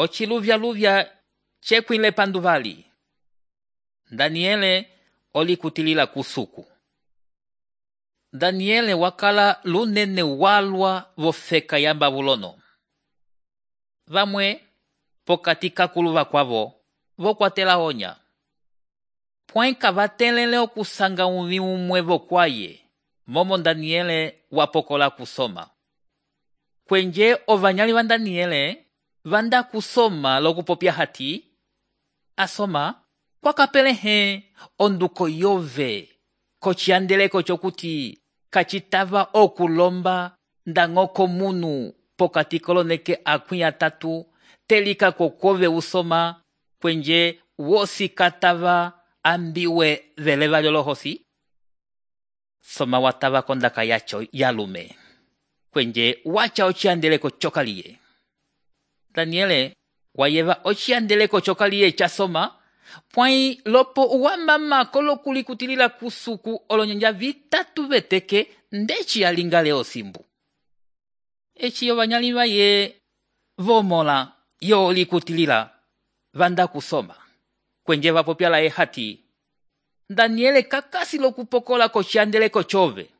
ociluvya cekwile panduvali. Daniele olikutilila kusuku. Daniele wakala lunene walwa vofeka ya Babulono. Vamwe pokati kakuluva kwavo vokwatela onya. Pwenka vatelele okusanga umi umwe vokwaye, momo Daniele wapokola kusoma. Kwenje ovanyali va Daniele vanda kusoma lokupopya hati, asoma kwakapelehe onduko yove kociandeleko cokuti kacitava okulomba ndang'oko munu pokati koloneke akwĩ atatu telika kokove usoma kwenje wosi katava ambiwe veleva lyolohosi. Soma watava kondaka yacho yalume kwenje wacha ociandeleko cokaliye. Daniele wayeva ociandeleko cokaliye chasoma pwai lopo uwamama kolokulikutilila kusuku olonyanja vitatu veteke ndeci alingale osimbu. Eci ovanyali vaye vomola yo likutilila vanda kusoma kwenje vapopyala hati Daniele kakasi lokupokola kociandeleko chove